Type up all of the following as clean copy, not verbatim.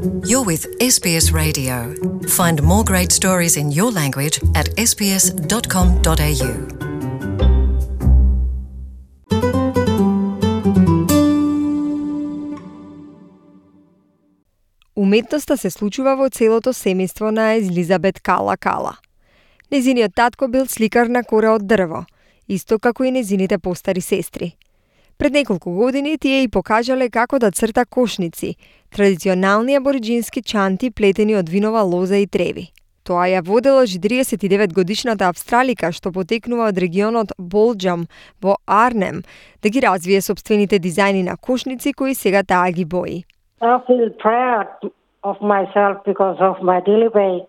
You're with SBS Radio. Find more great stories in your language at sbs.com.au. Уметноста се случува во целото семејство на Елизабет Кала Кала. Незиниот татко бил сликар на кора од дрво, исто како и незините постари сестри. Пред неколку години тие и покажале како да црта кошници, традиционални абориџински чанти плетени од винова лоза и треви. Тоа ја водела 49-годишната австралика што потекнува од регионот Болџам во Арнем да ги развие собствените дизајни на кошници кои сега таа ги бои. I feel proud of myself because of my daily work.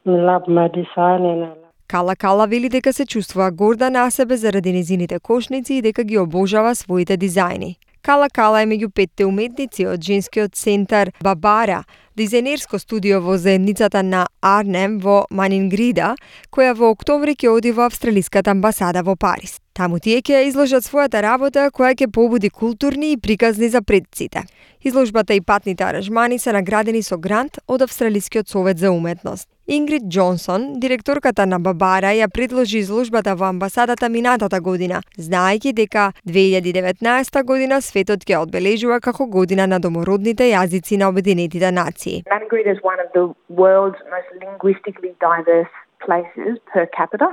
Love my design. Кала Кала вели дека се чувствува горда на себе заради незините кошници и дека ги обожава своите дизајни. Кала Кала е меѓу 5 уметници од женскиот центар Бабара, дизајнерско студио во заедницата на Арнем во Манингрида, која во октомври ќе оди во австралиската амбасада во Париз. Таму тие ќе изложат својата работа која ќе побуди културни и приказни за предците. Изложбата и патните аранжмани се наградени со грант од Австралискиот совет за уметност. Ингрид Џонсон, директорката на Бабара, ја предложи изложбата во амбасадата минатата година, знаејќи дека 2019 година светот ќе одбележува како година на домородните јазици на Обединетите нации. Maningrida is one of the world's most linguistically diverse places per capita.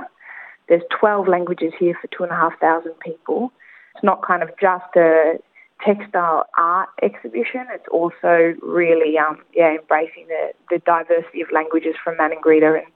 There's 12 languages here for 2,500 people. It's not kind of just a textile art exhibition. It's also really embracing the diversity of languages from Maningrida and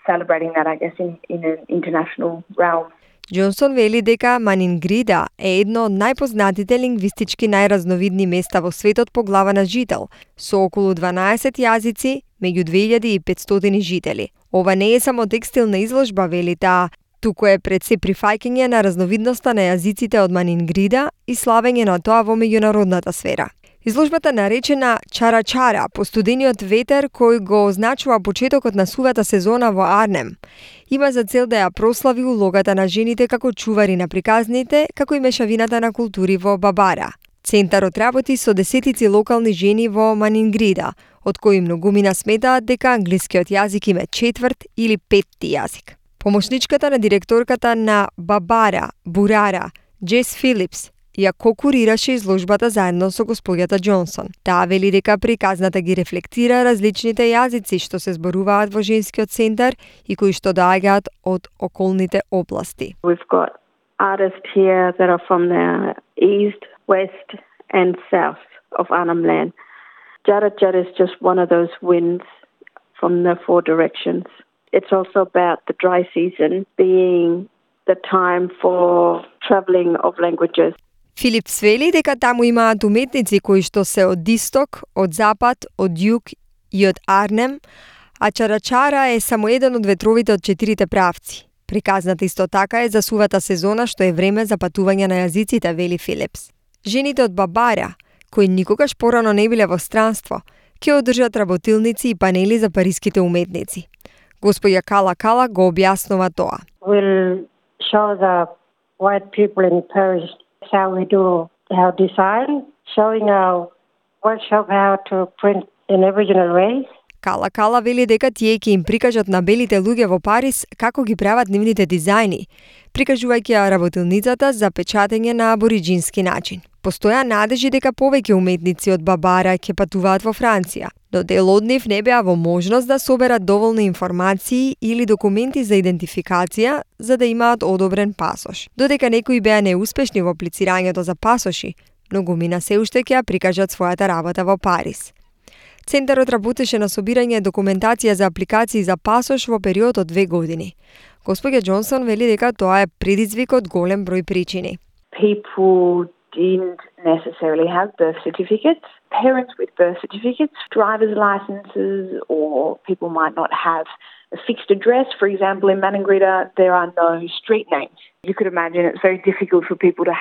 celebrating that, I guess, in an international realm. Џонсон вели дека Манингрида е едно од најпознатите лингвистички најразновидни места во светот по глава на жител, со околу 12 јазици меѓу 2500 жители. Ова не е само текстилна изложба, вели таа, туку е пред се прифаќање на разновидноста на јазиците од Манингрида и славење на тоа во меѓународната сфера. Изложбата наречена Чара-Чара, по студениот ветер кој го означува почетокот на сувата сезона во Арнем, има за цел да ја прослави улогата на жените како чувари на приказните, како и мешавината на култури во Бабара. Центарот работи со десетици локални жени во Манингрида, од кои многумина сметаат дека англискиот јазик им е четврт или петти јазик. Помошничката на директорката на Бабара, Бурара, Джес Филипс, ја кокурираше изложбата заедно со господјата Џонсон. Таа вели дека приказната ги рефлектира различните јазици што се зборуваат во женскиот центар и кои што доаѓаат од околните области. We've got artists here that are from the east, west and south of Arnhem Land. Chara-Chara is just one of those winds from the four directions. It's also about the dry season being the time for travelling of languages. Филипс вели дека таму имаат уметници кои што се од исток, од запад, од југ и од Арнем, а Чара-Чара е само еден од ветровите од 4 правци. Приказната исто така е за сувата сезона што е време за патување на јазиците, вели Филипс. Жените од Бабара, кои никогаш порано не биле во странство, ќе одржат работилници и панели за париските уметници. Господја Кала Кала го објаснува тоа. We'll show the white people in Paris how we do our design, showing our workshop how to print in original ways. Кала Кала вели дека тие ќе им прикажат на белите луѓе во Париз како ги прават нивните дизајни, прикажувајќи ја работилницата за печатење на абориџински начин. Постоја надежи дека повеќе уметници од Бабара ќе патуваат во Франција, но дел од нив не беа во можност да соберат доволни информации или документи за идентификација за да имаат одобрен пасош. Додека некои беа неуспешни во аплицирањето за пасоши, многумина се уште ќе ја прикажат својата работа во Париз. Центарот работеше на собирање документација за апликации за пасош во период од 2 години. Господја Џонсон вели дека тоа е предизвик од голем број причини. People didn't necessarily have birth certificates. Parents with birth certificates, driver's licenses, or people might not have a fixed address. For example, in Maningrida, there are no street names. You could imagine it's very difficult for people to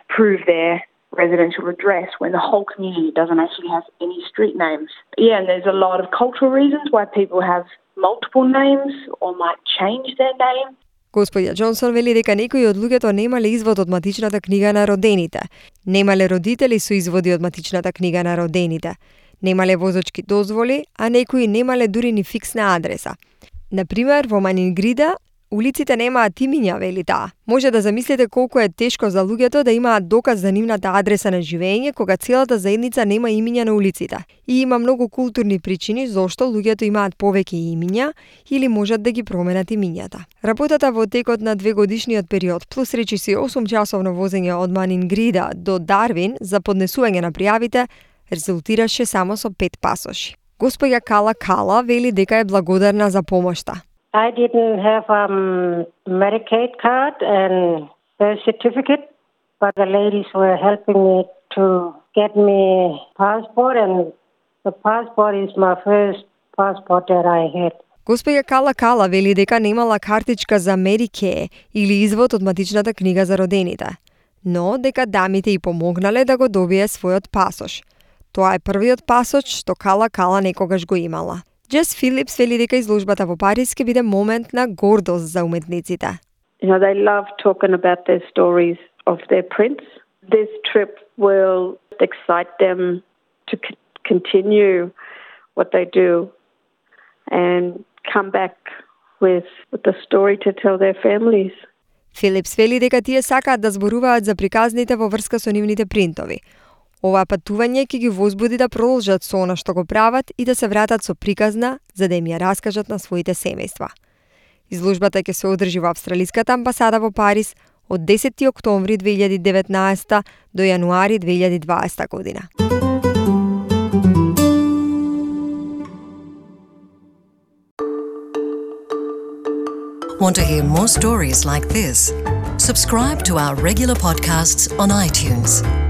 prove their residential address when the whole community doesn't actually have any street names. Yeah, and there's a lot of cultural reasons why people have multiple names or might change their name. Господја Џонсон вели дека некои од луѓето немале извод од матичната книга на родените, немале родители со изводи од матичната книга на родените, Немале возачки дозволи, а некои немале дури ни фиксна адреса. Например, во Манингрида улиците немаат имиња, вели таа. Може да замислите колку е тешко за луѓето да имаат доказ за нивната адреса на живење кога целата заедница нема имиња на улиците. И има многу културни причини зошто луѓето имаат повеќе имиња или можат да ги променат имињата. Работата во текот на 2-годишниот период плюс речиси 8-часовно возење од Манингрида до Дарвин за поднесување на пријавите резултираше само со 5 пасоши. Госпоѓа Кала вели дека е благодарна за помошта. I didn't have Medicaid card and birth certificate, but the ladies were helping me to get me passport, and the passport is my first passport that I had. Госпоѓа Кала вели дека немала картичка за Medicare или извод од матичната книга за родените, но дека дамите и помогнале да го добие својот пасош. Тоа е првиот пасош што Кала некогаш го имала. Джес Филипс вели дека изложбата во Париз ќе биде момент на гордост за уметниците. They love talking about their stories of their prints. This trip will excite them to continue what they do and come back with the story to tell their families. Филипс вели дека тие сакаат да зборуваат за приказните во врска со нивните принтови. Ова патување ќе ги возбуди да продолжат со она што го прават и да се вратат со приказна за да им ја раскажат на своите семејства. Изложбата ќе се одржи во Австралиската амбасада во Париз од 10 октомври 2019 до јануари 2020 година. Want to hear more stories like this? Subscribe to our regular podcasts on iTunes.